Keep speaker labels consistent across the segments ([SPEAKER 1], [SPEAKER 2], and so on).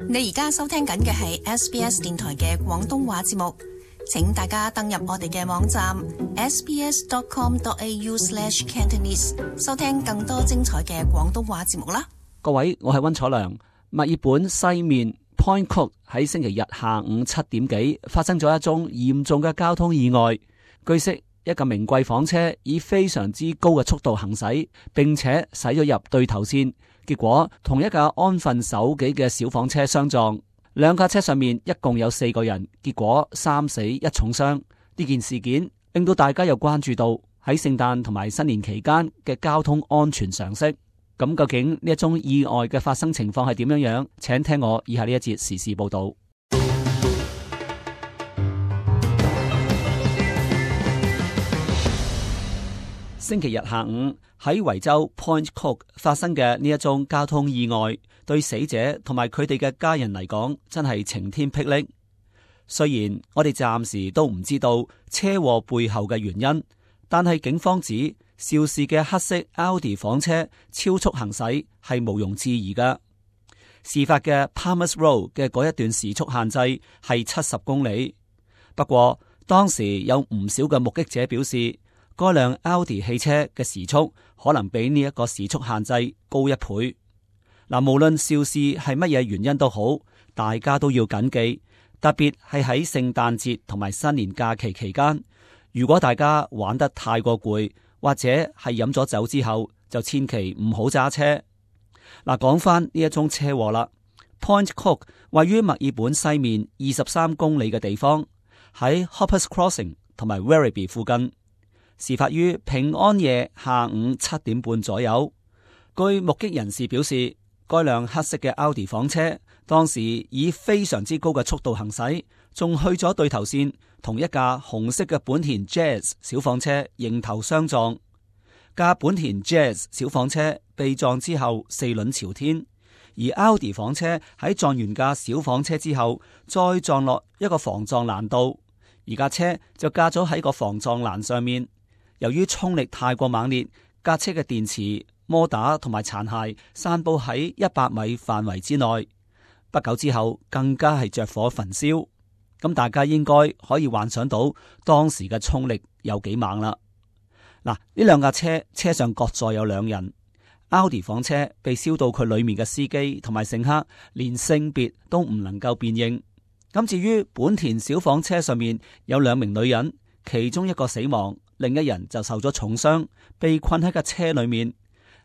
[SPEAKER 1] 你而家收聽緊嘅係 SBS 電台嘅廣東話節目，請大家登入我哋嘅網站 sbs.com.au/cantonese 收聽更多精彩嘅廣東話節目啦。
[SPEAKER 2] 各位，我係溫楚良。墨爾本西面 Point Cook 喺星期日下午7點幾發生咗一宗嚴重嘅交通意外。據悉，一架名貴房車以非常之高嘅速度行駛，並且駛咗入對頭線，結果同一架安分守己嘅小房車相撞。兩架車上面一共有4個人，結果3死1重傷。呢件事件令到大家又關注到喺聖誕同埋新年期間嘅交通安全常識。咁究竟呢一宗意外嘅發生情況係點樣樣？請聽我以下呢一節時事報道。星期日下午喺維州 Point Cook 發生嘅呢一宗交通意外，對死者同埋佢哋嘅家人嚟講，真係晴天霹靂。雖然我哋暫時都唔知道車禍背後嘅原因，但係警方指肇事嘅黑色 Audi 房車超速行駛係毋庸置疑噶。事發嘅 Palmers Road 嘅嗰一段時速限制係70公里。不過當時有唔少嘅目擊者表示，該輛 Audi 汽車嘅時速可能比呢一個時速限制高1倍。嗱，無論肇事係乜嘢原因都好，大家都要謹記，特別係喺聖誕節同埋新年假期期間，如果大家玩得太過攰，或者係飲咗酒之後，就千祈唔好揸車。嗱，講翻呢一宗車禍啦。Point Cook 位於墨爾本西面23公里嘅地方，喺 Hoppers Crossing 同埋 Werribee 附近。事發於平安夜下午7點半左右。據目擊人士表示，該輛黑色嘅 Audi 房車當時以非常之高嘅速度行駛，仲去咗對頭線，同一架紅色嘅本田 Jazz 小房車迎頭相撞。架本田 Jazz 小房車被撞之後4輪朝天，而 Audi 房車喺撞完架小房車之後，再撞落一個防撞欄度，而架車就架咗喺個防撞欄上面。由於衝力太過猛烈，架車嘅電池、摩打同埋殘骸散布喺100米範圍之內。不久之後，更加係着火焚燒。咁大家應該可以幻想到當時嘅衝力有幾猛啦。嗱，呢兩架車上各載有2人。Audi 房車被燒到佢裏面嘅司機同埋乘客連性別都唔能夠辨認。咁至於本田小房車上面有2名女人，其中一個死亡，另一人就受咗重傷，被困喺架車裏面。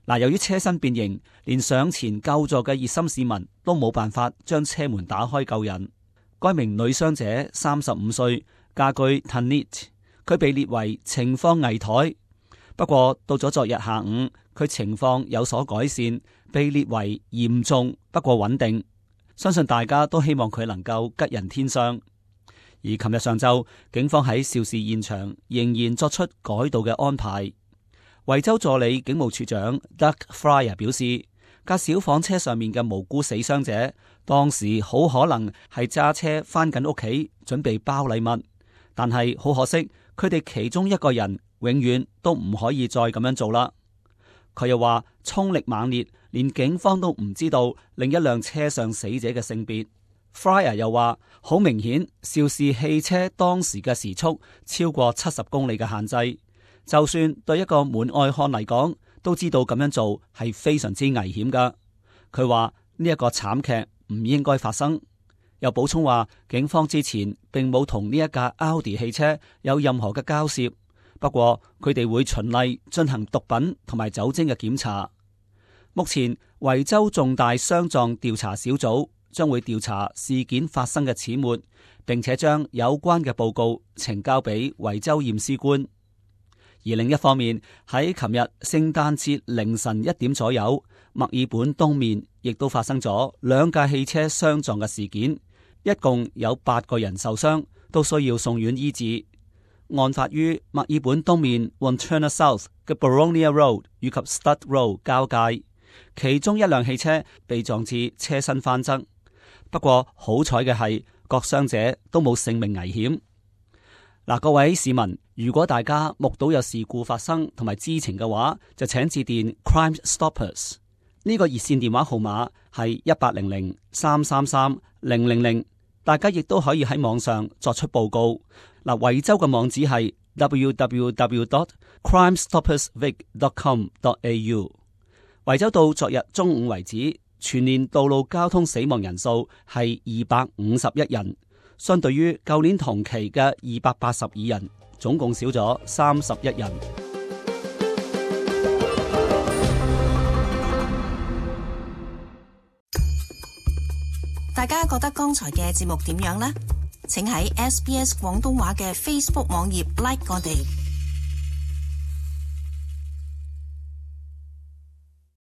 [SPEAKER 2] 嗱，由於車身變形，連上前救助嘅熱心市民都冇辦法將車門打開救人。該名女傷者35歲，嫁居 Tanit， 佢被列為情況危殆。不過到咗昨日下午，佢情況有所改善，被列為嚴重不過穩定。相信大家都希望佢能夠吉人天相。而琴日上晝，警方喺肇事現場仍然作出改道嘅安排。維州助理警務處長 Doug Fryer 表示，架小房車上面嘅無辜死傷者，當時好可能係揸車返緊屋企，準備包禮物，但係好可惜，佢哋其中一個人永遠都唔可以再咁樣做啦。佢又話，衝力猛烈，連警方都唔知道另一輛車上死者嘅性別。Fryer 又話，好明顯，肇事汽車當時嘅時速超過70公里嘅限制，就算對一個門外漢嚟講，都知道咁樣做係非常之危險噶。佢話呢一個慘劇唔應該發生，又補充話，警方之前並冇同呢一架 Audi 汽車有任何嘅交涉，不過佢哋會循例進行毒品同埋酒精嘅檢查。目前維州重大相撞調查小組將會調查事件發生嘅始末，並且將有關嘅報告呈交俾維州驗屍官。而另一方面，喺琴日聖誕節凌晨1點左右，墨爾本東面亦都發生咗2架汽車相撞嘅事件，一共有8個人受傷，都需要送院醫治。案發於墨爾本東面 Wantirna South 嘅 Boronia Road 以及 Stud Road 交界，其中一輛汽車被撞至車身翻側。不過好彩嘅係，各傷者都冇性命危險。嗱，各位市民，如果大家目睹有事故發生同埋知情嘅話，就請致電 Crime Stoppers 呢個熱線電話號碼係1800-333-000，大家亦都可以喺網上作出報告。嗱，維州嘅網址係 www.crimestoppersvic.com.au。維州到昨日中午為止，全年道路交通死亡人數係251人，相對於舊年同期嘅282人，總共少咗31人。
[SPEAKER 1] 大家覺得剛才嘅節目點樣呢？請喺SBS 廣東話嘅 Facebook 網頁 like 我哋。